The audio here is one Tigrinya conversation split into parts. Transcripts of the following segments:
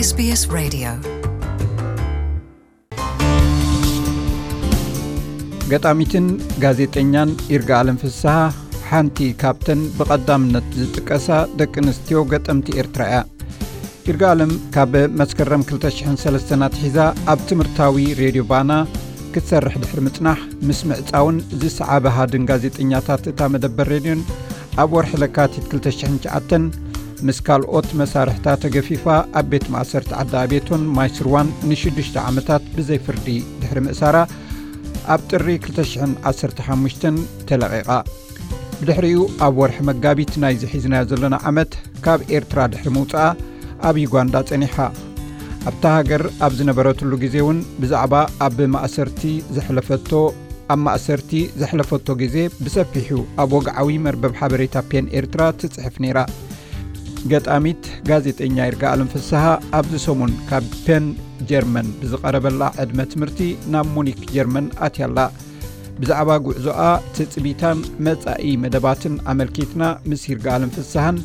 SBS Radio. ገጣሚትን ጋዜጠኛን ይርጋኣለም ፍስሃ ሓንቲ ካብተን ብቐዳምነት ዝጥቀሳ ደቂ ኣንስትዮ ገጠምቲ ኤርትራ እያ። ይርጋኣለም ካብ መስከረም ክልተ ሽሕን ሰለስተን ኣትሒዛ ኣብ ትምህርታዊ ሬድዮ ባና ክትሰርሕ ድሕሪ ምጽናሕ፣ ምስ ምዕጻውን ዝሰዓበ ሃድን ጋዜጠኛታት እታ መደበር ሬድዮን ኣብ ወርሒ ለካቲት ክልተ ሽሕን ትሽዓተን ምስ ካልኦት መሳርሕታ ተገፊፋ ኣብ ቤት ማእሰርቲ ዓዲ ኣቤቶን ማይስርዋን ንሽዱሽተ ዓመታት ብዘይ ፍርዲ ድሕሪ ምእሳራ ኣብ ጥሪ ክልተ ሽሕን ዓሰርተ ሓሙሽተን ተለቒቓ። ብድሕሪኡ ኣብ ወርሒ መጋቢት ናይዚ ሒዝናዮ ዘለና ዓመት ካብ ኤርትራ ድሕሪ ምውጽኣ ኣብ ዩጋንዳ ጸኒሓ። ኣብታ ሃገር ኣብ ዝነበረትሉ ግዜ እውን ብዛዕባ ኣብ ማእሰርቲ ዘሕለፈቶ ኣብ ማእሰርቲ ዘሕለፈቶ ግዜ ብሰፊሑ ኣብ ወግዓዊ መርበብ ሓበሬታ ፔን ኤርትራ ትጽሕፍ ነይራ። ገጣሚት ጋዜጠኛ ይርጋኣለም ፍስሃ ኣብዚ ሰሙን ካብ ፔን ጀርመን ብዝቐረበላ ዕድመ ትምህርቲ ናብ ሙኒክ ጀርመን ኣትያላ። ብዛዕባ ጉዕዞኣ፣ ትጽቢታን መጻኢ መደባትን ኣመልኪትና ምስ ይርጋኣለም ፍስሃን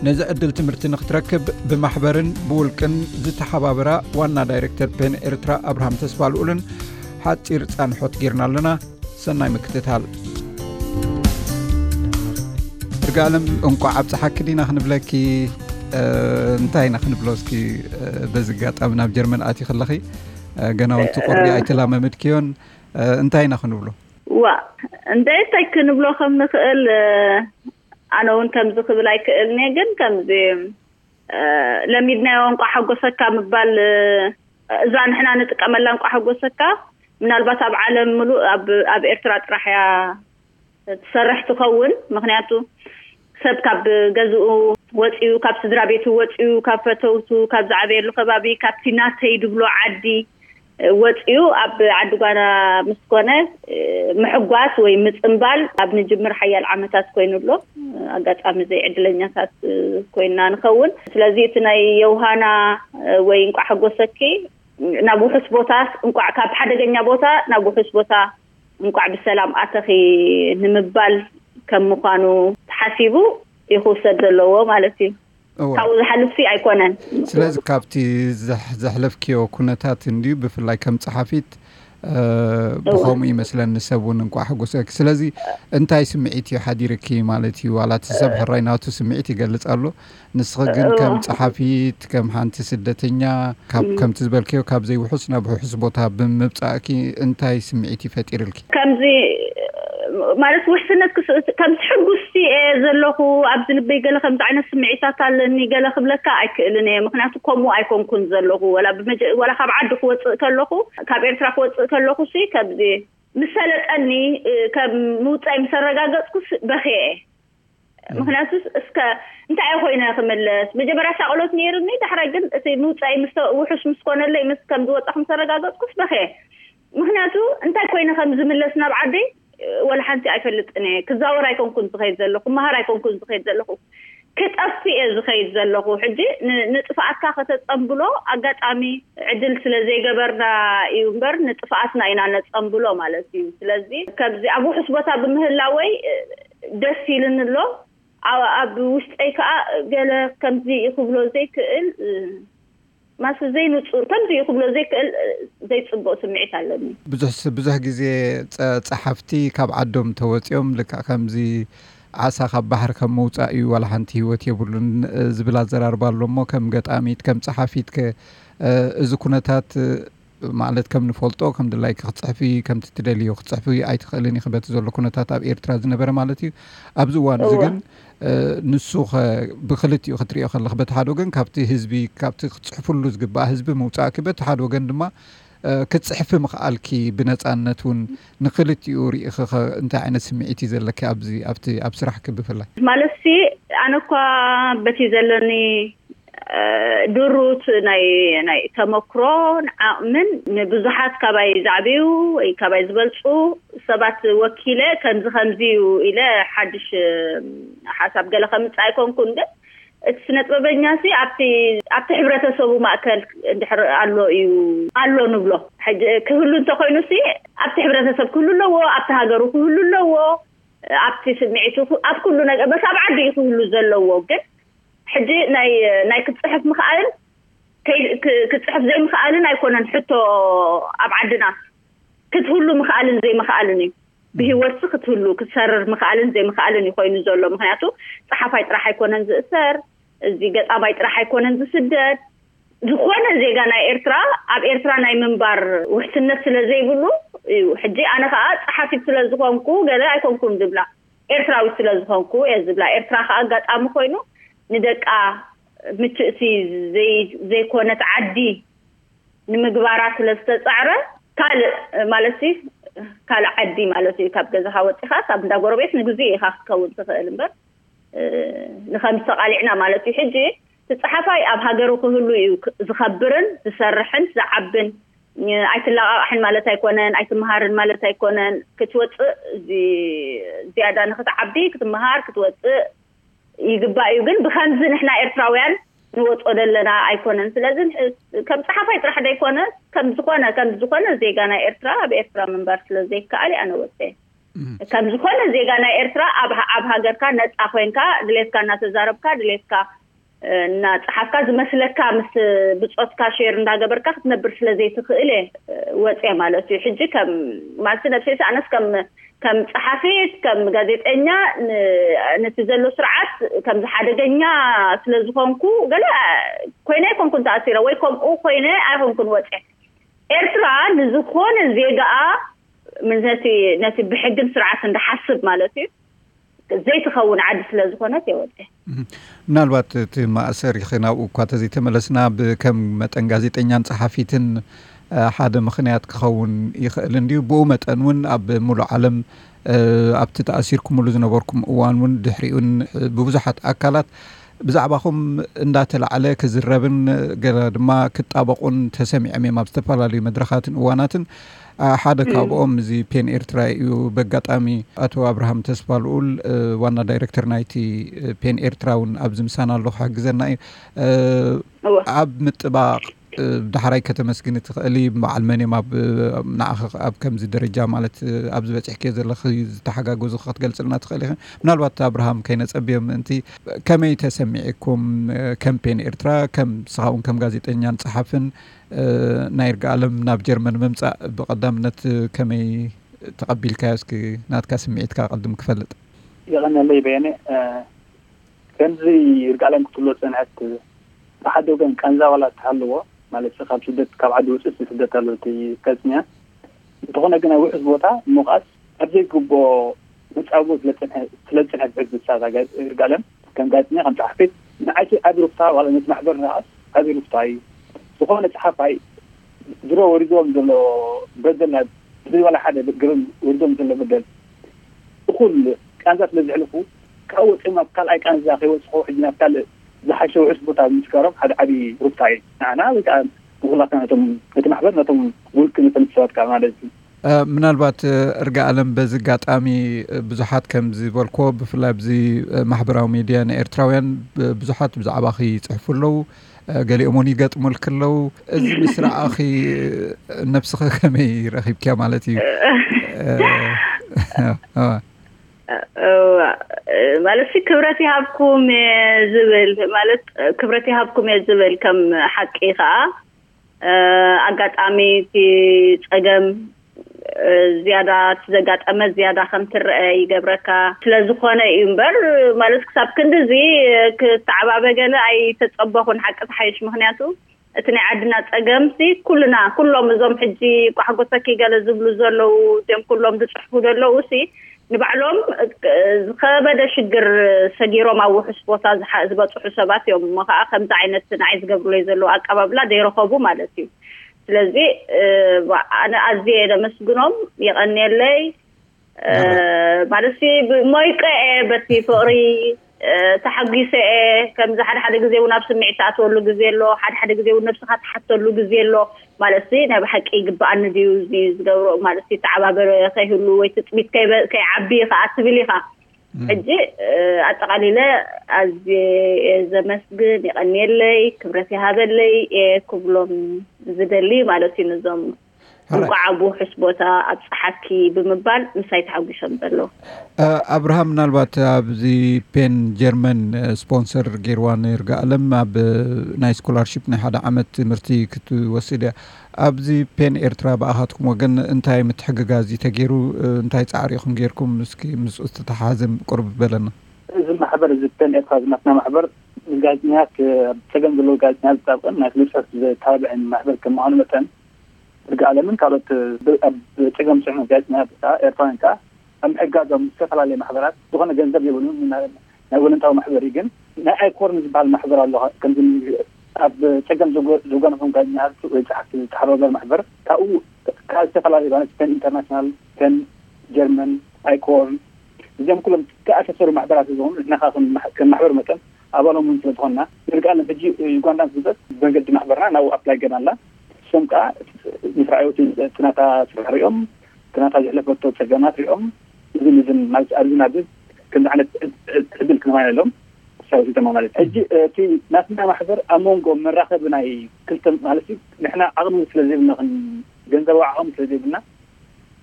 ነዚ ዕድል ትምህርቲ ንክትረክብ ብማሕበርን ብውልቅን ዝተሓባበራ ዋና ዳይሬክተር ፔን ኤርትራ ኣብርሃም ተስፋልኡልን ሓጺር ጻንሖት ጌርና ኣለና። ሰናይ ምክትታል። ይርጋለም፣ እንቋዕ ኣብፀሓኪ ዲና ክንብለኪ? እ፣ እንታይ ኢና ክንብሎ? እስኪ፣ እ፣ በዚ ኣጋጣሚ ናብ ጀርመን ኣቲ ከለኺ፣ እ፣ ገና እውን እቲ ቁሪ እ። ኣይተላመምድክዮን፣ እ፣ እንታይ ኢና ክንብሎ? ዋ፣ እንደ እንታይ ክንብሎ ከም ንኽእል፣ እ፣ ኣነ እውን ከምዚ ክብል ኣይክእልን እየ፣ ግን ከምዚ፣ እ፣ ለሚድናዮ እንቋዕ ሓጎሰካ ምባል፣ እ፣ እዛ ንሕና ንጥቀመላ እንቋዕ ሓጎሰካ፣ ምናልባት ኣብ ዓለም ምሉእ ኣብ፣ ኣብ ኤርትራ ጥራሕ እያ ትሰርሕ ትኸውን። ምኽንያቱ ሰብ ካብ ገዝኡ ወፂኡ፣ ካብ ስድራ ቤቱ ወፂኡ፣ ካብ ፈተውቱ፣ ካብ ዝዓበየሉ ከባቢ፣ ካብቲ ናተይ ድብሎ ዓዲ ወፂኡ ኣብ ዓዲ ጓና ምስ ኮነ፣ ምሕጓስ ወይ ምፅምባል ኣብ ንጅምር ሓያል ዓመታት ኮይኑ ኣሎ። ኣጋጣሚ ዘይዕድለኛታት ኮይንና ንኸውን። ስለዚ እቲ ናይ የውሃና ወይ እንቋዕ ሓጎሰኪ ናብ ውሑስ ቦታ፣ እንቋዕ ካብ ሓደገኛ ቦታ ናብ ውሑስ ቦታ፣ እንቋዕ ብሰላም ኣተኺ ንምባል ከም ምዃኑ ተሓሲቡ እዩ ክውሰድ ዘለዎ ማለት እዩ። እወ። ካብኡ ዝሓልፍሲ ኣይኮነን። ስለዚ ካብቲ ዘሕ-፣ ዘሕለፍክዮ ኩነታት እንድዩ፣ ብፍላይ ከም ጸሓፊት፣ እ፣ እወ። ብኸምኡ ይመስለኒ ሰብ እውን እንቋዕ ሓጎሰኪ። ስለዚ እንታይ ስምዒት እዩ ሓዲርኪ ማለት እዩ? ዋላ እቲ ሰብ ሕራይ ናቱ ስምዒት ይገልጽ ኣሎ። ንስኺ ግን ከም እወ። ጸሓፊት፣ ከም ሓንቲ ስደተኛ፣ ካብ፣ እም። ከምቲ ዝበልክዮ ካብ ዘይውሑስ ናብ ውሑስ ቦታ ብምብጻእኪ እንታይ ስምዒት እዩ ፈጢርልኪ? ከምዚ ማለት ውሕስነት ክስ-፣ ከምዚ ሕጉስቲ እየ ዘለኹ፣ ኣብዚ ልበይ ገለ ከምዚ ዓይነት ስምዒታት ኣለኒ ገለ ክብለካ ኣይክእልን እየ። ምኽንያቱ ከምኡ ኣይኮንኩን ዘለኹ። ወላ ብመጀ-፣ ወላ ካብ ዓዲ ክወጽእ ከለኹ፣ ካብ ኤርትራ ክወጽእ ከለኹ ሲ ከምዚ ምስ ሰለጠኒ፣ እ፣ ከም ምውጻይ ምስ ኣረጋገጽኩስ በኽየ እየ። ምኽንያቱ እስከ እንታይ እየ ኮይነ ክምለስ? መጀመርያ ሻቕሎት ነይሩኒ፣ ዳሕራይ ግን እቲ ምውጻይ ምስ ተ-፣ ውሑስ ምስ ኮነለይ፣ ምስ ከም ዝወጻኹ ምስ ኣረጋገጽኩስ በኽየ። ምኽንያቱ እንታይ ኮይነ ከም ዝምለስ ናብ ዓደይ፣ ወላ ሓንቲ ኣይፈልጥን እየ። ክዛወር ኣይኮንኩን ዝኸይድ ዘለኹ፣ ክመሃር ኣይኮንኩን ዝኸይድ ዘለኹ፣ ክጠፍእ እየ ዝኸይድ ዘለኹ። ሕጂ ን-፣ ንጥፍኣትካ ከተጸንብሎ ኣጋጣሚ ዕድል ስለ ዘይገበርና እዩ እምበር፣ ንጥፍኣትና ኢና ነጸንብሎ ማለት እዩ። ስለዚ ከምዚ ኣብ ውሑስ ቦታ ብምህላወይ ደስ ኢሉኒ ኣሎ። ኣብ፣ ኣብ ውሽጠይ ከኣ ገለ ከምዚ እዩ ክብሎ ዘይክእል፣ ማስ ዘይንጹር፣ ከምዚ እዩ ክብሎ ዘይክእል ዘይጽቡቕ ስምዒት ኣለኒ። ብዙሕ ስ-፣ ብዙሕ ግዜ ጸ-፣ ጸሓፍቲ ካብ ዓዶም ተወጺኦም ልክዕ ከምዚ ዓሳ ካብ ባሕሪ ከም ምውጻእ እዩ፣ ዋላ ሓንቲ ህይወት የብሉን፣ እ፣ ዝብል ኣዘራርባ ኣሎ እሞ፣ ከም ገጣሚት፣ ከም ጸሓፊት ከ፣ እ፣ እዚ ኩነታት፣ እ፣ ማለት ከም ንፈልጦ፣ ከም ድላይኪ ክትጽሕፊ፣ ከምቲ ትደልዮ ክትጽሕፊ ኣይትኽእልን ኢኺ፣ በቲ ዘሎ ኩነታት ኣብ ኤርትራ ዝነበረ ማለት እዩ። ኣብዚ እዋን እዚ እወ። ግን፣ እ፣ ንሱ ኸ ብኽልቲኡ ክትሪኦ ከለኺ፣ በቲ ሓደ ወገን ካብቲ ህዝቢ፣ ካብቲ ክትጽሕፍሉ ዝግባእ ህዝቢ ምውጻእኪ፣ በቲ ሓደ ወገን ድማ፣ እ፣ ክትጽሕፊ ምኽኣልኪ ብነጻነት እውን ንኽልቲኡ ርኢኺ ኸ እንታይ ዓይነት ስምዒት እዩ ዘለኪ ኣብዚ፣ ኣብቲ፣ ኣብ ስራሕኪ ብፍላይ? ማለትሲ ኣነ እኳ በቲ ዘለኒ፣ እ፣ ድሩት ናይ፣ ናይ ተመክሮን ዓቕምን ንብዙሓት ካባይ ዝዓብዩ ወይ ካባይ ዝበልጹ ሰባት ወኪለ ከምዚ ከምዚ እዩ ኢለ ሓድሽ፣ እ፣ ሓሳብ ገለ ከምጽእ ኣይኮንኩን፣ ግን እቲ ስነ ጥበበኛ ሲ ኣብቲ፣ ኣብቲ ሕብረተሰቡ ማእከል እንድሕር ኣሎ እዩ፣ ኣሎ ንብሎ። ሕጂ ክህሉ እንተኾይኑ ሲ ኣብቲ ሕብረተሰብ ክህሉ ኣለዎ፣ ኣብቲ ሃገሩ ክህሉ ኣለዎ፣ ኣብቲ ስምዒቱ ክ-፣ ኣብ ኩሉ ነገር፣ በስ ኣብ ዓዲ እዩ ክህሉ ዘለዎ። ግን ሕጂ ናይ፣ ናይ ክትጽሕፍ ምኽኣልን ክፅሕፍ ዘይምኽኣልን ኣይኮነን ሕቶ ኣብ ዓድና ክትህሉ ምኽኣልን ዘይምኽኣልን እዩ። ብህይወትሲ ክትህሉ ክትሰርር ምኽኣልን ዘይምኽኣልን እዩ ኮይኑ ዘሎ። ምክንያቱ ፀሓፋይ ጥራሕ ኣይኮነን ዝእሰር፣ እዚ ገጣማይ ጥራሕ ኣይኮነን ዝስደድ። ዝኾነ ዜጋ ናይ ኤርትራ ኣብ ኤርትራ ናይ ምንባር ውሕስነት ስለ ዘይብሉ እዩ። ሕጂ ኣነ ከዓ ፀሓፊት ስለ ዝኾንኩ ገለ ኣይኮንኩን ዝብላ፣ ኤርትራዊት ስለ ዝኾንኩ እየ ዝብላ። ኤርትራ ከዓ ኣጋጣሚ ኮይኑ ንደቃ ምችእሲ ዘይኮነት ዓዲ ንምግባራ ስለ ዝተፃዕረ፣ ካልእ ማለት ካልእ ዓዲ ማለት እዩ፣ ካብ ገዛኻ ወፂኻስ ኣብ እንዳ ጎረቤት ንግዜ ኢኻ ክትከውን ትኽእል እምበር ንኸምስ ተቓሊዕና ማለት እዩ። ሕጂ እቲ ፀሓፋይ ኣብ ሃገሩ ክህሉ እዩ ዝኸብርን ዝሰርሕን ዝዓብን። ኣይትለቓቓሕን ማለት ኣይኮነን፣ ኣይትምሃርን ማለት ኣይኮነን። ክትወፅእ ዝያዳ ንክትዓቢ ክትምሃር ክትወፅእ ይግባእ እዩ። ግን ብኸምዚ ንሕና ኤርትራውያን ንወፅኦ ዘለና ኣይኮነን። ስለዚ ከም ፀሓፋይ ጥራሕ ዘይኮነ ከም ዝኾነ ከም ዝኾነ ዜጋ ናይ ኤርትራ ኣብ ኤርትራ ምንባር ስለ ዘይከኣል ኣነ ወፀ። ከም ዝኾነ ዜጋ ናይ ኤርትራ ኣብ ኣብ ሃገርካ ነፃ ኮይንካ ድሌትካ እናተዛረብካ ድሌትካ እናፀሓፍካ ዝመስለካ ምስ ብፆትካ ሼር እንዳገበርካ ክትነብር ስለ ዘይትኽእል እየ ወፅየ ማለት እዩ። ሕጂ ከም ማለት ነብሰይ ኣነስ ከም ከም ፀሓፊት ከም ጋዜጠኛ ነቲ ዘሎ ስርዓት ከምዚ ሓደገኛ ስለ ዝኾንኩ ገለ ኮይነ ኣይኮንኩን ተኣሲረ ወይ ከምኡ ኮይነ ኣይኮንኩን ወፅየ። ኤርትራ ንዝኾነ ዜጋኣ ነቲ ነቲ ብሕግን ስርዓትን ዝሓስብ ማለት እዩ ዘይትኸውን ዓዲ ስለ ዝኾነት የወደ። ምናልባት እቲ ማእሰር ይኸ ናብኡ እኳ ተዘይተመለስና ከም መጠን ጋዜጠኛን ፀሓፊትን ሓደ ምኽንያት ክኸውን ይኽእል እንድዩ። ብኡ መጠን እውን ኣብ ሙሉእ ዓለም ኣብቲ ተኣሲርኩምሉ ዝነበርኩም እዋን እውን ድሕሪኡን ብብዙሓት ኣካላት ብዛዕባኹም እንዳተላዕለ ክዝረብን ገለ ድማ ክጣበቁን ተሰሚዖም እዮም ኣብ ዝተፈላለዩ መድረኻትን እዋናትን። ሓደ ካብኦም እዚ ፔን ኤርትራ እዩ። በጋጣሚ ኣቶ ኣብርሃም ተስፋ ልኡል ዋና ዳይሬክተር ናይቲ ፔን ኤርትራ እውን ኣብዚ ምሳና ኣሎ ክሕግዘና እዩ። ኣብ ምጥባቕ ዳሕራይ ከተመስግኒ ትኽእሊ በዓል መን እዮም ኣብ ንዓኺ ኣብ ከምዚ ደረጃ ማለት ኣብ ዝበፅሕክዮ ዘለኺ ዝተሓጋገዙ ክትገልፅልና ትኽእል ኢኺ? ምናልባት ኣብርሃም ከይነፀብዮ ምእንቲ ከመይ ተሰሚዕኩም ከም ፔን ኤርትራ ከም ንስኻ እውን ከም ጋዜጠኛን ፀሓፍን ናይ ይርጋኣለም ናብ ጀርመን ምምፃእ ብቐዳምነት ከመይ ተቐቢልካዮ? እስኪ ናትካ ስምዒትካ ቅድም ክፈልጥ። የቐነለይ በየነ። ከምዚ ይርጋለም ክትብሎ ዝፀንሐት ብሓደ ወገን ቃንዛ ዋላ እትሃልዎ ማለት ካብ ስደት ካብ ዓዲ ውፅእ ስደት ኣሎ እቲ ከፅንያ እንተኾነ ግን ኣብ ውሑስ ቦታ ምውቃስ ኣብ ዘይግብኦ መፃብቦ ስለዝፀንሐት ሕዚ ንሳ ይርጋለም ከም ጋዜጠኛ ከም ፀሓፊት ንዓይቲ ዓቢ ሩፍታ ዋላ ነቲ ማሕበር ንዓስ ዓቢ ሩፍታ እዩ። ዝኾነ ፀሓፋይ ድሮ ወሪዶም ዘሎ በደል ናብ ብዘይ ዋላ ሓደ ግርም ወሪዶም ዘሎ በደል እኹል ቃንዛ ስለ ዘሕልፉ ካብኡ ወፂኦም ናብ ካልኣይ ቃንዛ ከይወፅኹ ሕጂ ናብ ካልእ ዝሓሸ ውሑስ ቦታ ምፍጣሮም ሓደ ዓብዪ ሩፍታ እዩ ንዓና ወይ ከዓ ንኩላትና ነቶም ነቲ ማሕበር ነቶም ውልቂ ነቶም ሰባት ከዓ ማለት እዩ። ምናልባት እርጋ ኣለም በዚ ኣጋጣሚ ብዙሓት ከም ዝበልኮ ብፍላይ ኣብዚ ማሕበራዊ ሚድያ ንኤርትራውያን ብዙሓት ብዛዕባኺ ይፅሕፉ ኣለዉ። ገሊኦም እውን ይገጥሙልኪ ኣለዉ። እዚ ምስ ረኣኺ ነብስኺ ከመይ ረኺብኪያ ማለት እዩ? ማለት ክብረት ይሃብኩም ዝብል ማለት ክብረት ይሃብኩም እየ ዝብል ከም ሓቂ ከዓ ኣጋጣሚ እቲ ፀገም ዝያዳ እቲ ዘጋጠመ ዝያዳ ከም ትረአ ይገብረካ ስለዝኾነ እዩ እምበር ማለት ክሳብ ክንዲ እዚ ክተዓባበ ገለ ኣይተፀበኹን ሓቂ ተሓይሽ ምክንያቱ እቲ ናይ ዓድና ፀገምሲ ኩልና ኩሎም እዞም ሕጂ ቋሕጎሰኪ ገለ ዝብሉ ዘለዉ እዚኦም ኩሎም ዝፅሕፉ ዘለዉ ሲ ንባዕሎም ዝኸበደ ሽግር ሰጊሮም ኣብ ውሑስ ቦታ ዝበፅሑ ሰባት እዮም እሞ ከዓ ከምዚ ዓይነት ንዓይ ዝገብሩለይ ዘለዉ ኣቀባብላ ዘይረኸቡ ማለት እዩ። ስለዚ ኣነ ኣዝየ ነመስግኖም የቐንየለይ። ማለት ሞይቀ እየ በቲ ፍቕሪ ተሓጒሰ እየ። ከምዚ ሓደ ሓደ ግዜ እውን ኣብ ስምዒት ተኣትወሉ ግዜ ኣሎ፣ ሓደ ሓደ ግዜ እውን ነብስኻ ትሓተሉ ግዜ ኣሎ። ማለት ናይ ብሓቂ ይግበኣኒ ድዩ እዚ ዝገብሮ ማለት ተዓባበረ ከይህሉ ወይ ትፅቢት ከይዓቢ ከዓ ትብል ኢኻ። ሕጂ ኣጠቓሊለ ኣዝየ ዘመስግን የቐንየለይ ክብረት ይሃበለይ እየ ክብሎም ዝደሊ ማለት እዩ። ነዞም ሕራይ። እንቋዕ ኣብ ውሑስ ቦታ ኣብፀሓኪ ብምባል ምሳይ ተሓጒሶም ዘለዉ። ኣብርሃም፣ ምናልባት ኣብዚ ፔን ጀርመን ስፖንሰር ገይርዋ ንይርጋኣለም ኣብ ናይ ስኮላርሽፕ ናይ ሓደ ዓመት ትምህርቲ ክትወስድ እያ። ኣብዚ ፔን ኤርትራ ብኣኻትኩም ወገን እንታይ ምትሕግጋዝ እዩ ተገይሩ? እንታይ ፃዕሪ ኢኹም ገይርኩም? እስኪ ምስ ዝተተሓሓዘ ቁርብ በለና። እዚ ማሕበር እዚ ፔን ኤርትራ ዝናትና ማሕበር ንጋዜጠኛት፣ ኣብ ፀገም ዘለዎ ጋዜጠኛት ዝጣብቅን ናይ ፍሉይ ፅሑፍ ዘተባብዕን ማሕበር ከም ምዃኑ መጠን ይርጋኣለምን ካልኦት ኣብ ፀገም ፅዕኑ ጋዜጠኛት ከዓ ኤርትራውያን ከዓ ኣብ ምሕጋዞም ዝተፈላለየ ማሕበራት ዝኾነ ገንዘብ የብሉን። ናይ ወለንታዊ ማሕበር እዩ። ግን ናይ ኣይኮርን ዝበሃል ማሕበር ኣሎ። ከምዚ ኣብ ፀገም ዝጎ- ዝጎነፎም ጋዜጠኛታት ወይ ፀሓፍቲ ዝተሓባበር ማሕበር ካብኡ ካብ ዝተፈላለዩ ማለት ፔን ኢንተርናሽናል፣ ፔን ጀርመን፣ ኣይኮርን እዚኦም ኩሎም ተኣሳሰሩ ማሕበራት ዝኾኑ ንሕና ከዓ ከም ማሕ- ከም ማሕበር መጠን ኣባሎም እውን ስለዝኾንና ንርግኣለን ሕጂ ዩጋንዳ እንትምፀእ ብመንገዲ ማሕበርና ናብኡ ኣፕላይ ገና ኣላ። እሶም ከዓ ምስ ረኣዮት ናታ ስራሕ ሪኦም ናታ ዘሕለፈቶ ፀገማት ሪኦም እዝን እዝን ማለት ኣብዚ ናብዚ ከምዚ ዓይነት ዕድል ክንባና ኢሎም ተሳዊሶም ማለት ሕጂ እቲ ናትና ማሕበር ኣብ መንጎ መራኸቢ ናይ ክልተ ማለት እዩ ንሕና ዓቕሚ ስለ ዘይብልና ክን- ገንዘባዊ ዓቕሚ ስለ ዘይብልና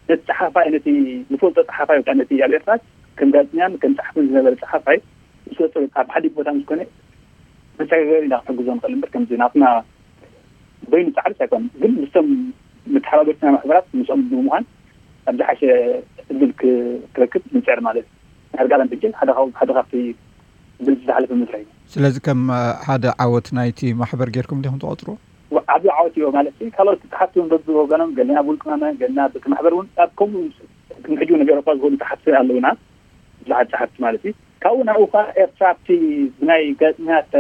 ነቲ ፀሓፋይ ነቲ ንፈልጦ ፀሓፋይ ወይ ከዓ ነቲ ኣብ ኤርትራ ከም ጋዜጠኛን ከም ፀሓፍን ዝነበረ ፀሓፋይ ምስ ወፀ ኣብ ሓዲግ ቦታ ምስ ኮነ መሰጋገሪ ኢና ክንሕግዞ ንኽእል እምበር ከምዚ ናትና በይኑ ፃዕሪስ ኣይኮነን ግን ምስቶም መተሓባበርትና ማሕበራት ምስኦም ብምዃን ኣብ ዝሓሸ ዕድል ክ- ክረክብ ንፅዕር ማለት እዩ። ናይ ርጋለም ሕጂ ሓደ ካብ ሓደ ካብቲ ብልቲ ዝሓለፈ መስርሕ እዩ። ስለዚ ከም ሓደ ዓወት ናይቲ ማሕበር ጌርኩም ዲኹም ትቆፅርዎ? ዓብዪ ዓወት እዮ ማለት እዩ። ካልኦት ፃሓፍቲ እውን በብወገኖም ገለና ብውልቂ መመ ገለና በቲ ማሕበር እውን ኣብ ከምኡ ንሕጂ እውን ኣብ ኤውሮጳ ዝኾኑ ፃሓፍቲ ኣለውና። ብዙሓት ፃሓፍቲ ማለት እዩ። ካብኡ ናብኡ ከዓ ኤርትራ ኣብቲ ብናይ ጋዜጠኛት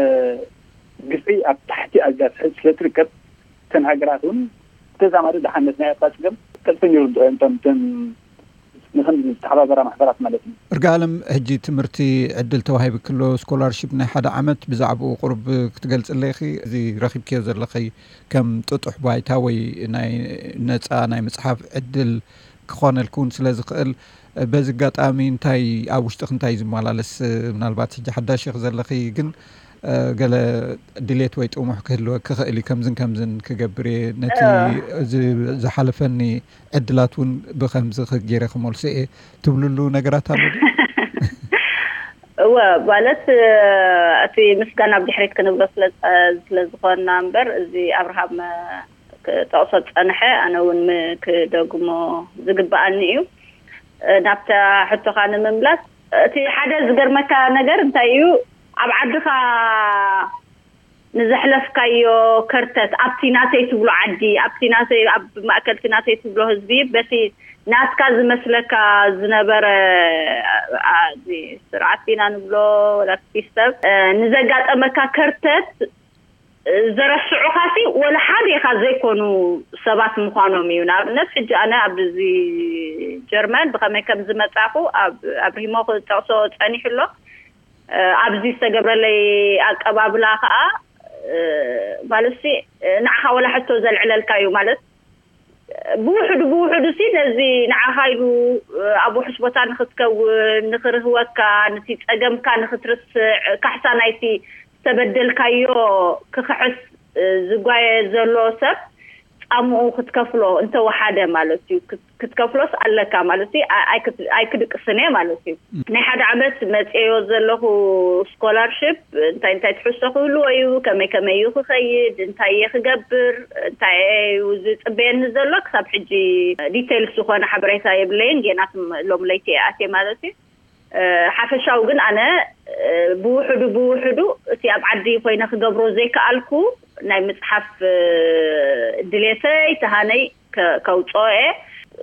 ግፍዒ ኣብ ታሕቲ ኣዝያ ትሕዝ ስለ ትርከብ እተን ሃገራት እውን ተዛማዲ ድሓነት ናይ ኤርትራ ፀገም ቀልጥፈን ይርድኦ እዮም እቶም እተን ንኸምዚ ዝተሓባበራ ማሕበራት ማለት እዩ። እርጋለም ሕጂ ትምህርቲ ዕድል ተዋሂብክሎ ስኮላርሺፕ ናይ ሓደ ዓመት ብዛዕባኡ ቁሩብ ክትገልፅለይ ኢኺ? እዚ ረኺብክዮ ዘለኺ ከም ጥጡሕ ባይታ ወይ ናይ ነፃ ናይ ምፅሓፍ ዕድል ክኾነልኪ እውን ስለ ዝኽእል በዚ ኣጋጣሚ እንታይ ኣብ ውሽጥኺ እንታይ እዩ ዝመላለስ? ምናልባት ሕጂ ሓዳሽ ኢኺ ዘለኺ ግን ገለ ድሌት ወይ ጥሙሕ ክህልወኪ ይኽእል እዩ። ከምዝን ከምዝን ክገብር እየ፣ ነቲ ዝሓለፈኒ ዕድላት እውን ብኸምዚ ገይረ ክመልሶ እየ ትብልሉ ነገራት ኣሎ ድዩ? እወ፣ ማለት እቲ ምስጋና ኣብ ድሕሪት ክንብሎ ስለ ዝኾንና እምበር፣ እዚ ኣብርሃም ክጠቕሶ ዝጸንሐ ኣነ እውን ክደግሞ ዝግብኣኒ እዩ። ናብታ ሕቶኻ ንምምላስ፣ እቲ ሓደ ዝገርመካ ነገር እንታይ እዩ፣ ኣብ ዓድኻ ንዘሕለፍካዮ ከርተት ኣብቲ ናተይ ትብሎ ዓዲ፣ ኣብቲ ናተይ፣ ኣብ ማእከል እቲ ናተይ ትብሎ ህዝቢ፣ በቲ ናትካ ዝመስለካ ዝነበረ፣ ኣ፣ እዚ ስርዓት ኢና ንብሎ ወላ ሲስተም፣ እ፣ ንዘጋጠመካ ከርተት፣ እ፣ ዘረስዑኻሲ ወላ ሓደ ኢኻ ዘይኮኑ ሰባት ምዃኖም እዩ። ንኣብነት፣ ሕጂ ኣነ ኣብዚ ጀርመን ብኸመይ ከም ዝመጻኹ ኣብ፣ ኣብሪሂሞ ክጠቕሶ ጸኒሑ ኣሎ። እ፣ ኣብዚ ዝተገብረለይ ኣቀባብላ ከኣ፣ እ፣ ማለትሲ፣ እ፣ ንዓኻ ወላ ሕቶ ዘልዕለልካ እዩ። ማለት፣ ብውሕዱ ብውሕዱ ሲ ነዚ ንዓኻ ኢሉ፣ እ፣ ኣብ ውሑስ ቦታ ንኽትከውን፣ ንኽርህወካ፣ ነቲ ጸገምካ ንኽትርስዕ፣ ካሕሳ ናይቲ ዝተበደልካዮ ክኽሕስ፣ እ፣ ዝጓየ ዘሎ ሰብ ጻምኡ ክትከፍሎ እንተወሓደ ማለት እዩ። ክት-፣ ክትከፍሎስ ኣለካ ማለት እዩ። ኣ-፣ ኣይክት-፣ ኣይክድቅስን እየ ማለት እዩ። ናይ ሓደ ዓመት መጽዮ ዘለኹ ስኮላርሽፕ እንታይ እንታይ ትሕዝቶ ክህልዎ እዩ፣ ከመይ ከመይ እዩ ክኸይድ፣ እንታይ እየ ክገብር፣ እንታይ እዩ ዝጽበየኒ ዘሎ፣ ክሳብ ሕጂ ዲቴልስ ዝኾነ ሓበሬታ የብለይን። ጌና ትም-፣ ሎም ለይቲ እየ ኣትየ ማለት እዩ። እ፣ ሓፈሻዊ ግን ኣነ፣ እ፣ ብውሕዱ ብውሕዱ እቲ ኣብ ዓዲ ኮይነ ክገብሮ ዘይከኣልኩ ናይ ምጽሓፍ፣ እ፣ ድሌተይ፣ ተሃነይ ከ-፣ ከውጽኦ እየ።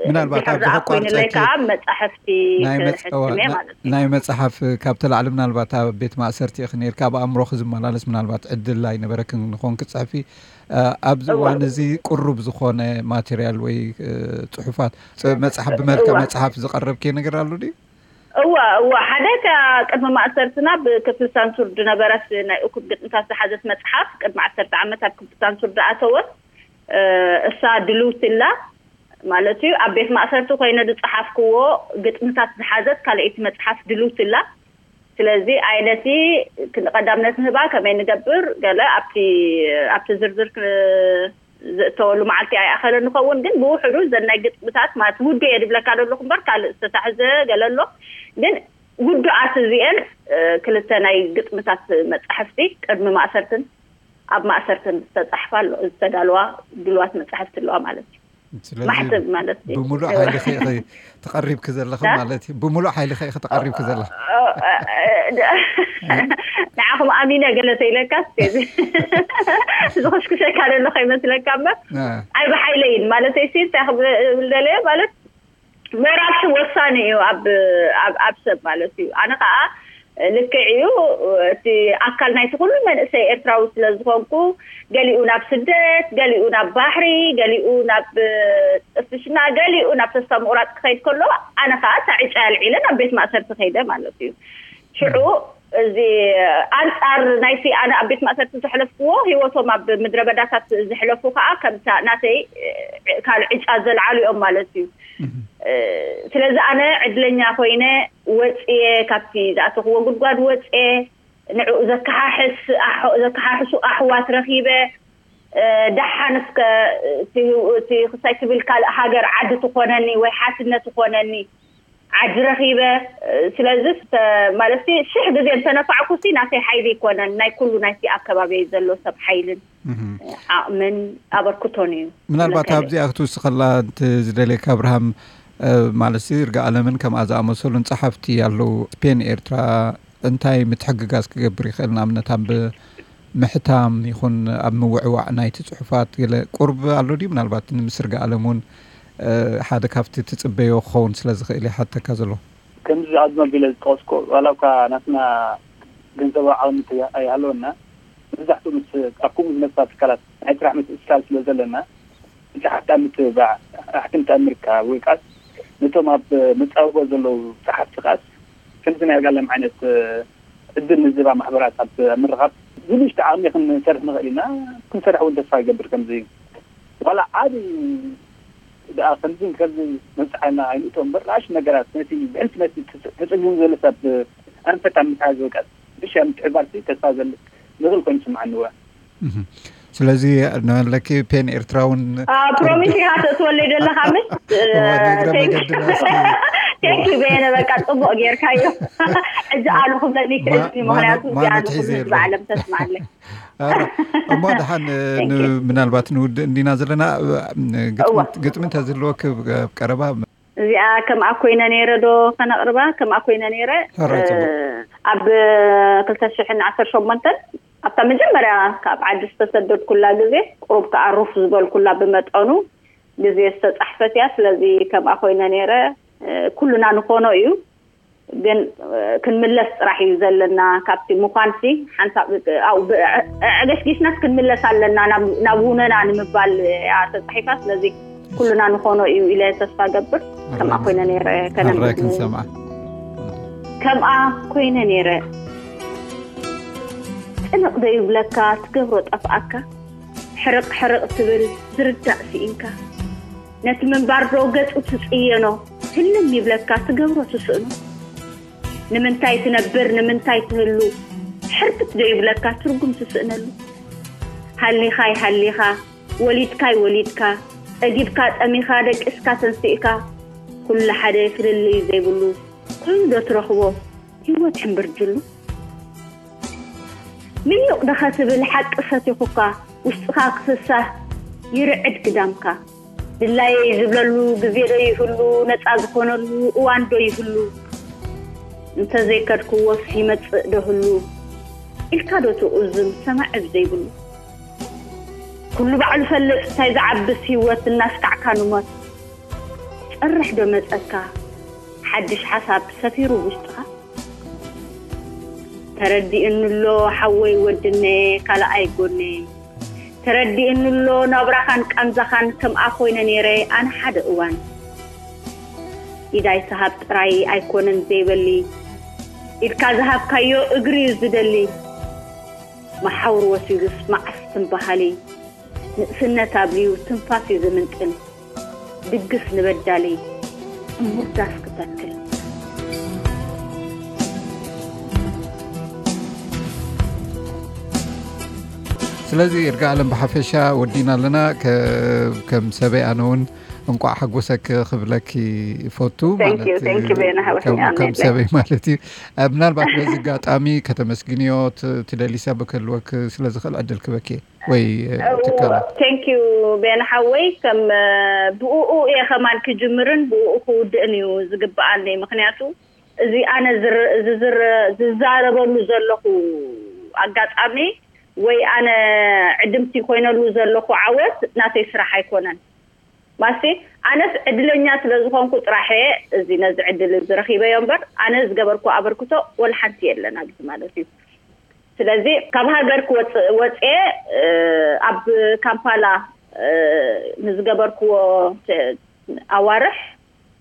ምናልባት እንዲሕር ኣብዚ ደኣ ኮይኑለይ ከቋርጸኪ፣ ከዓ መጻሕፍቲ ናይ መጽ-፣ ክሕትም እየ እዋ፣ ማለት እዩ። ናይ መጽሓፍ ካብ ተላዕሊ ምናልባት ኣብ ቤት ማእሰርቲ ኢኺ ነይርካ፣ ኣብ ኣእምሮኺ ዝመላለስ ምናልባት ዕድል ኣይነበረክን ንኾን ክትጽሕፊ። እ፣ ኣብዚ እዋ። እዋን እዚ ቅሩብ ዝኾነ ማቴርያል ወይ፣ እ፣ ጽሑፋት፣ ጽ-፣ መጽሓፍ ብመልክዕ እዋ። መጽሓፍ ዝቐረብኪ ነገር ኣሎ ድዩ? እዋ፣ እዋ። ሓደ እታ ቅድሚ ማእሰርትና ብክፍሊ ሳንሱር ዝነበረት ናይ እኩብ ግጥምታት ዝሓዘት መጽሓፍ፣ ቅድሚ ዓሰርተ ዓመት ኣብ ክፍሊ ሳንሱር ዝኣተወት፣ እ፣ እሳ ድልውቲ ኣላ ማለት እዩ። ኣብ ቤት ማእሰርቲ ኮይነ ዝጸሓፍክዎ ግጥምታት ዝሓዘት ካልኣይቲ መጽሓፍ ድልውቲ ኣላ። ስለዚ ኣይ ነቲ ክንዲ ቀዳምነት ንህባ፣ ከመይ ንገብር፣ ገለ ኣብቲ፣ ኣብቲ ዝርዝር ክ-፣ ዘእተወሉ መዓልቲ ኣይኣኸለ ንኸውን፣ ግን ብውሕዱ ዘን ናይ ግጥምታት ማለት ውዱ እየ ድብለካ ዘለኹ እምበር ካልእ ዝተታሕዘ ገለ ኣሎ። ግን ውዱኣት እዚአን ክልተ ናይ ግጥምታት መጻሕፍቲ ቅድሚ ማእሰርትን ኣብ ማእሰርትን ዝተጻሕፋ ኣሎ ዝተዳለዋ ድልዋት መጻሕፍቲ ኣለዋ ማለት እዩ። ስለዚህ ማሕተም ማለት እዩ። ብምሉእ ሓይልኺ ኢኺ ተቐሪብኪ ዘለኺ ማለት እዩ። ብምሉእ ሓይልኺ ኢኺ ተቐሪብኪ ዘለኺ። ንዓኹም ኣሚነ ገለ ተይለካ ዝኽሽክሸካ ዘሎ ከይመስለካ እምበር ኣይ ብሓይለይን ማለት ሲ እንታይ ክብል ደለየ ማለት ምዕራፍ ወሳኒ እዩ ኣብ ኣብ ኣብ ሰብ ማለት እዩ። ኣነ ከዓ ልክዕ እዩ። እቲ ኣካል ናይቲ ኩሉ መንእሰይ ኤርትራዊ ስለ ዝኾንኩ ገሊኡ ናብ ስደት፣ ገሊኡ ናብ ባሕሪ፣ ገሊኡ ናብ ጥፍሽና፣ ገሊኡ ናብ ተስፋ ምቑራፅ ክኸይድ ከሎ ኣነ ከዓ እታ ዕጫ ኣልዒለ ናብ ቤት ማእሰርቲ ከይደ ማለት እዩ። ሽዑ እዚ ኣንፃር ናይቲ ኣነ ኣብ ቤት ማእሰርቲ ዘሕለፍክዎ ህይወቶም ኣብ ምድረ በዳታት ዘሕለፉ ከዓ ከምታ ናተይ ካልእ ዕጫ ዘልዓሉ እዮም ማለት እዩ። ስለዚ ኣነ ዕድለኛ ኮይነ ወፅየ ካብቲ ዝኣተኽዎ ጉድጓድ ወፅየ ንዕኡ ዘከሓሕስ ዘከሓሕሱ ኣሕዋት ረኺበ ደሓን እስከ እቲ ክሳይ ትብል ካልእ ሃገር ዓዲ ትኾነኒ ወይ ሓትነት ትኾነኒ ዓዲ ረኺበ ስለዚ ማለት ሽሕ ግዜ እንተነፋዕኩሲ ናተይ ሓይሊ ይኮነን ናይ ኩሉ ናይቲ ኣከባቢ ዘሎ ሰብ ሓይልን ዓቕምን ኣበርክቶን እዩ። ምናልባት ኣብዚኣ ክትውስኸላ ዝደልየካ ኣብርሃም ማለት እርጋ ኣለምን ከምኣ ዝኣመሰሉን ጸሓፍቲ ኣለዉ ስፔን ኤርትራ እንታይ ምትሕግጋዝ ክገብር ይኽእል ንኣብነት ኣብ ምሕታም ይኹን ኣብ ምውዕዋዕ ናይቲ ጽሑፋት ገለ ቁርብ ኣሎ ድዩ ምናልባት ንምስርጋ ኣለም እውን ሓደ ካብቲ ትጽበዮ ክኸውን ስለ ዝኽእል ይሓተካ ዘሎ። ከምዚ ኣዝመ ቢለ ዝጠቀስኮ ዋላ እኳ ናትና ገንዘባዊ ዓቕሚ ኣይሃለወና መብዛሕትኡ ምስ ኣብ ከምኡ ዝመፅኣ ትካላት ናይ ስራሕ ምትእስሳር ስለ ዘለና ብፀሓፍቲ ኣብ ምትብባዕ ኣሕትምቲ ኣብ ምርካብ ወይ ከዓስ ነቶም ኣብ መፃብቦ ዘለዉ ፀሓፍቲ ከዓስ ከምዚ ናይ ኣርጋለም ዓይነት ዕድል ንዝህባ ማሕበራት ኣብ ምርኻብ ብንእሽቶ ዓቕሚ ክንሰርሕ ንኽእል ኢና። ክንሰርሕ እውን ተስፋ ይገብር ከምዚ ዋላ ዓብዪ ደኣ ከምዚ ከምዚ መብፅሓና ኣይንእቶ እምበር ንኣሽ ነገራት ነቲ ብሕልፊ ነቲ ተፀጊሙ ዘሎ ሰብ ኣንፈት ኣብ ምትሓዝ ወቀት ብሻ ምትሕባርሲ ተስፋ ዘለ ንኽእል ኮይኑ ይስምዓኒ እዋ ስለዚ ንመለኪ ፔን ኤርትራውን ፕሮሚስ ኢኻ ተትወለይ ዘለኻ ምስ ቴንኪ በየነ በቃ ፅቡቅ ጌርካዮ ሕጂ ኣሉ ክብለኒ ክእል ምክንያቱ እዚኣሉ ክብል በዓለም ተስማዓለይ እሞ ደሓን ምናልባት ንውድእ እንዲና ዘለና ግጥሚ እንተዝህልወ ቀረባ እዚኣ ከምኣ ኮይነ ነይረ ዶ ከነቕርባ ከምኣ ኮይነ ነይረ ኣብ ክልተ ሽሕን ዓሰርተ ሸሞንተን ኣብታ መጀመርያ ካብ ዓዲ ዝተሰደድኩላ ግዜ ቁሩብ ከዓ ሩፍ ዝበልኩላ ብመጠኑ ግዜ ዝተፃሕፈት እያ። ስለዚ ከምኣ ኮይነ ነይረ ኩሉና ንኾኖ እዩ ግን ክንምለስ ጥራሕ እዩ ዘለና ካብቲ ምዃንሲ ሓንሳብ ኣዕገሽጊሽናስ ክንምለስ ኣለና ናብ ውነና ንምባል እያ ተፃሒፋ ስለዚ ኩልና ንኾኖ እዩ ኢለ ተስፋ ገብር ከምኣ ኮይነ ነይረ ከነምር ክንሰምዓ ከምኣ ኮይነ ነይረ ጭንቕ ዘይብለካ ትገብሮ ጠፍኣካ ሕርቕ ሕርቕ ትብል ዝርዳእ ስኢንካ ነቲ ምንባር ዶ ገጹ ትጽየኖ ህልም ይብለካ ትገብሮ ትስእኖ ንምንታይ ትነብር ንምንታይ ትህሉ ሕርብት ዶ ይብለካ ትርጉም ትስእነሉ ሃሊኻይ ሃሊኻ ወሊድካይ ወሊድካ ጸጊብካ ጸሚኻ ደቂስካ ተንሲእካ ኩሉ ሓደ ፍልልይ ዘይብሉ ኮይኑ ዶ ትረኽቦ ህይወት ሕምብርጅሉ ምኑቕ ዶ ኸትብል ሓቂ ሰቲኹካ ውሽጥኻ ክፍሳህ ይርዕድ ግዳምካ ድላየይ ዝብለሉ ግዜ ዶ ይህሉ ነፃ ዝኾነሉ እዋን ዶ ይህሉ እንተዘይከድክዎስ ይመፅእ ዶ ህሉ ኢልካ ዶ ትቑዝም ሰማዒ ብዘይብሉ ኩሉ ባዕሉ ፈልጥ እንታይ ዝዓብስ ህይወት እናስካዕካ ንሞት ጸርሕ ዶ መጸካ ሓድሽ ሓሳብ ሰፊሩ ውሽጥኻ ተረዲእኒ ኣሎ ሓወይ ወድነ ካልኣይ ጎነ ተረዲእኒ ኣሎ ናብራኻን ቃንዛኻን ከምኣ ኮይነ ነይረ ኣነ ሓደ እዋን ኢዳይ ሰሃብ ጥራይ ኣይኮነን ዘይበሊ ኢድካ ዝሃብካዮ እግሪ እዩ ዝደሊ መሓውር ወሲዱስ መዓስ ትንበሃሊ ንእስነት ኣብልዩ ትንፋስ እዩ ዝምንጥል ድግስ ንበዳሊ እሙር ዳስ ክተክል ስለዚ እርጋ ኣለም ብሓፈሻ ወዲና ኣለና። ከ- ከም ሰበይ ኣነ እውን እንቋዕ ሓጎሰክ ክብለክ ይፈቱ። Thank you, thank you፣ ቤና ሓወይ፣ ከም- ኣሜን። ከም ሰበይ ማለት እዩ። እ፣ ምናልባት በዚ ኣጋጣሚ ከተመስግንዮ ት- ትደሊ ሰብ ክህልወክ ስለ ዝኽእል ዕድል ክበክ ወይ እ፣ ትካላት ቴንክ ዩ ቤና ሓወይ። ከም እ፣ ብኡኡ እየ ከማን ክጅምርን ብኡኡ ክውድእን እዩ ዝግብኣኒ። ምክንያቱ እዚ ኣነ ዝር- ዝዝር- ዝዛረበሉ ዘለኹ ኣጋጣሚ ወይ ኣነ ዕድምቲ ኮይነሉ ዘለኹ ዓወት ናተይ ስራሕ ኣይኮነን። ማሲ ኣነስ ዕድለኛ ስለ ዝኾንኩ ጥራሕ እየ እዚ ነዚ ዕድል እዚ ረኺበዮ እምበር ኣነ ዝገበርኩ ኣበርክቶ ወላ ሓንቲ የለን ኣብዚ ማለት እዩ። ስለዚ ካብ ሃገር ክወፅእ ወፅየ እ፣ ኣብ ካምፓላ እ፣ ንዝገበርክዎ ተ- ኣዋርሕ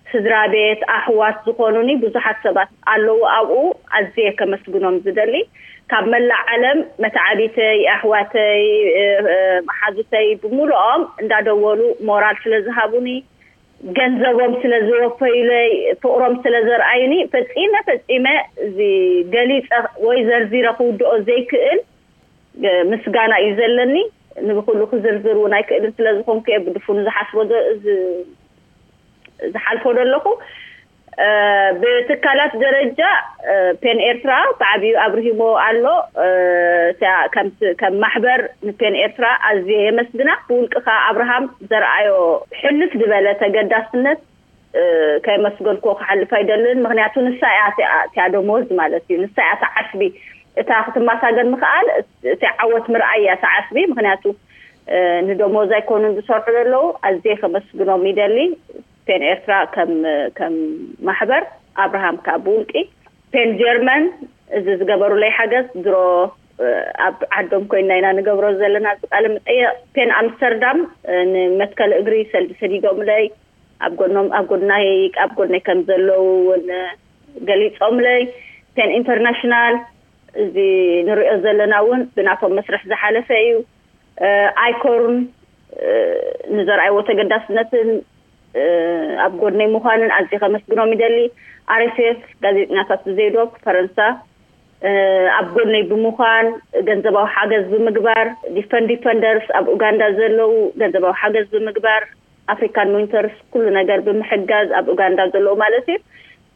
ስድራ ቤት ኣሕዋት ዝኾኑኒ ብዙሓት ሰባት ኣለዉ ኣብኡ። ኣዝየ ከመስግኖም ዝደሊ ካብ መላእ ዓለም መተዓቢተይ ኣሕዋተይ እ፣ እ፣ መሓዙተይ ብምሉኦም እንዳደወሉ ሞራል ስለ ዝሃቡኒ ገንዘቦም ስለ ዝወፈዩለይ ፍቕሮም ስለ ዘርኣዩኒ ፈጺመ ፈጺመ እዚ ገሊፀ ወይ ዘርዚረ ክውድኦ ዘይክእል እ፣ ምስጋና እዩ ዘለኒ። ንብኩሉ ክዝርዝር እውን ኣይክእልን ስለ ዝኾንኩ እየ ብድፉኑ ዝሓስቦ ዘ- ዝ- ዝሓልፎ ዘለኹ እ፣ ብትካላት ደረጃ እ፣ ፔን ኤርትራ ብዓብዩ ኣብርሂሞ ኣሎ። እ፣ እታ ከምቲ- ከም ማሕበር ንፔን ኤርትራ ኣዝየ የመስግና። ብውልቅኻ ኣብርሃም ዘርኣዮ ሕልፍ ዝበለ ተገዳስነት እ፣ ከየመስገንክዎ ክሓልፍ ኣይደልን። ምክንያቱ ንሳ እያ እቲኣ- እቲኣ ደሞዝ ማለት እዩ፣ ንሳ እያ እታ ዓስቢ። እታ ክትመሳገን ምክኣል እቲ ዓወት ምርኣይ እያ እታ ዓስቢ። ምክንያቱ እ፣ ንደሞዝ ኣይኮኑን ዝሰርሑ ዘለዉ። ኣዝየ ከመስግኖም ይደሊ ፔን ኤርትራ ከም ከም ማሕበር፣ ኣብርሃም ከዓ ብውልቂ፣ ፔን ጀርመን እዚ ዝገበሩለይ ሓገዝ ድሮ እ፣ ኣብ ዓዶም ኮይና ኢና ንገብሮ ዘለና እዚ ቃለ መጠየቕ። ፔን ኣምስተርዳም እ፣ ንመትከል እግሪ ሰልዲ ሰዲዶምለይ ኣብ ጎኖም ኣብ ጎድናይ ኣብ ጎድነይ ከም ዘለዉ እውን ገሊፆምለይ። ፔን ኢንተርናሽናል እዚ ንሪኦ ዘለና እውን ብናቶም መስርሕ ዝሓለፈ እዩ። እ፣ ኣይኮርን እ፣ ንዘርኣይዎ ተገዳስነትን እ፣ ኣብ ጎድነይ ምዃንን ኣዝየ ከመስግኖም ይደሊ። ኣርኤስኤፍ ጋዜጠኛታት ብዘይዶብ ፈረንሳ እ፣ ኣብ ጎድነይ ብምዃን ገንዘባዊ ሓገዝ ብምግባር ዲፈን ዲፈንደርስ ኣብ ኡጋንዳ ዘለዉ ገንዘባዊ ሓገዝ ብምግባር ኣፍሪካን ዊንተርስ ኩሉ ነገር ብምሕጋዝ ኣብ ኡጋንዳ ዘለዉ ማለት እዩ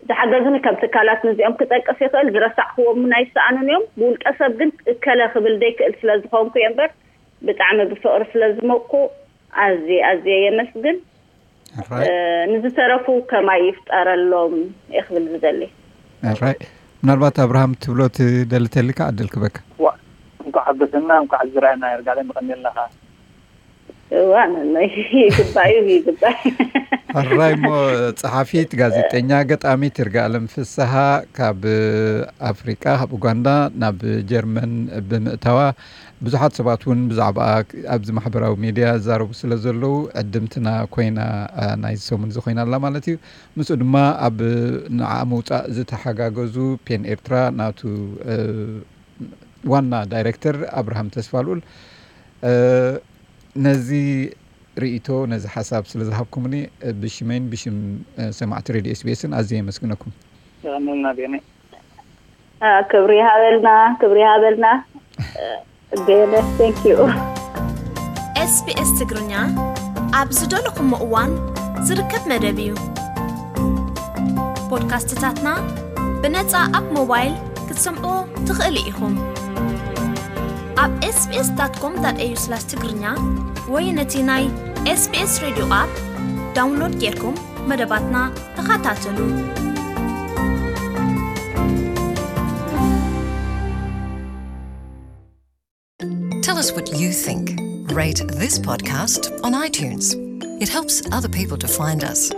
ዝሓገዙኒ ከም ትካላት ንዚኦም ክጠቅስ ይኽእል። ዝረሳዕክዎም እውን ኣይሰኣኑን እዮም። ብውልቀ ሰብ ግን እከለ ክብል ዘይክእል ስለ ዝኾንኩ እየ እምበር ብጣዕሚ ብፍቕሪ ስለ ዝመኩ ኣዝየ ኣዝየ የመስግን። ራይ እ፣ ንዝተረፉ ከማይ ይፍጠረሎም እየ ክብል ዝደሊ። ራይ ምናልባት ኣብርሃም ትብሎ ትደሊ ተልካ ዕድል ክበካ። ዋ እንኳዕ ሓጎሰና እንኳዕ ዝረኣና ይርጋለ ምቐኒ ኣለኻ። እዋ ነኖይ ይግባእ እዩ ይግባእ። ሕራይ እሞ ጸሓፊት፣ ጋዜጠኛ፣ ገጣሚት ይርጋለም ፍስሃ ካብ ኣፍሪቃ ካብ ኡጋንዳ ናብ ጀርመን ብምእታዋ ብዙሓት ሰባት እውን ብዛዕባ ኣብዚ ማሕበራዊ ሚድያ ዝዛረቡ ስለ ዘለዉ ዕድምትና ኮይና ናይዚ ሰሙን እዚ ኮይና ኣላ ማለት እዩ። ምስኡ ድማ ኣብ ንዓ ምውፃእ ዝተሓጋገዙ ፔን ኤርትራ ናቱ ዋና ዳይሬክተር ኣብርሃም ተስፋልኡል ነዚ ርእይቶ ነዚ ሓሳብ ስለ ዝሃብኩምኒ ብሽመይን ብሽም ሰማዕቲ ሬድዮ ኤስቢኤስን ኣዝየ የመስግነኩም። የቐንልና ቤነ። ክብሪ ይሃበልና ክብሪ ይሃበልና። ቤነ thank you። ኤስቢኤስ ትግርኛ ኣብ ዝደለኹሞ እዋን ዝርከብ መደብ እዩ። ፖድካስትታትና ብነጻ ኣብ ሞባይል ክትሰምዑ ትኽእሉ ኢኹም። ኣብ ኤስቢኤስ ዳት ኮም ዳት ኤዩ ስላሽ ትግርኛ ወይ ነቲ ናይ ኤስቢኤስ ሬድዮ ኣፕ ዳውንሎድ ጌርኩም መደባትና ተኸታተሉ። Tell us what you think. Rate this podcast on iTunes. It helps other people to find us.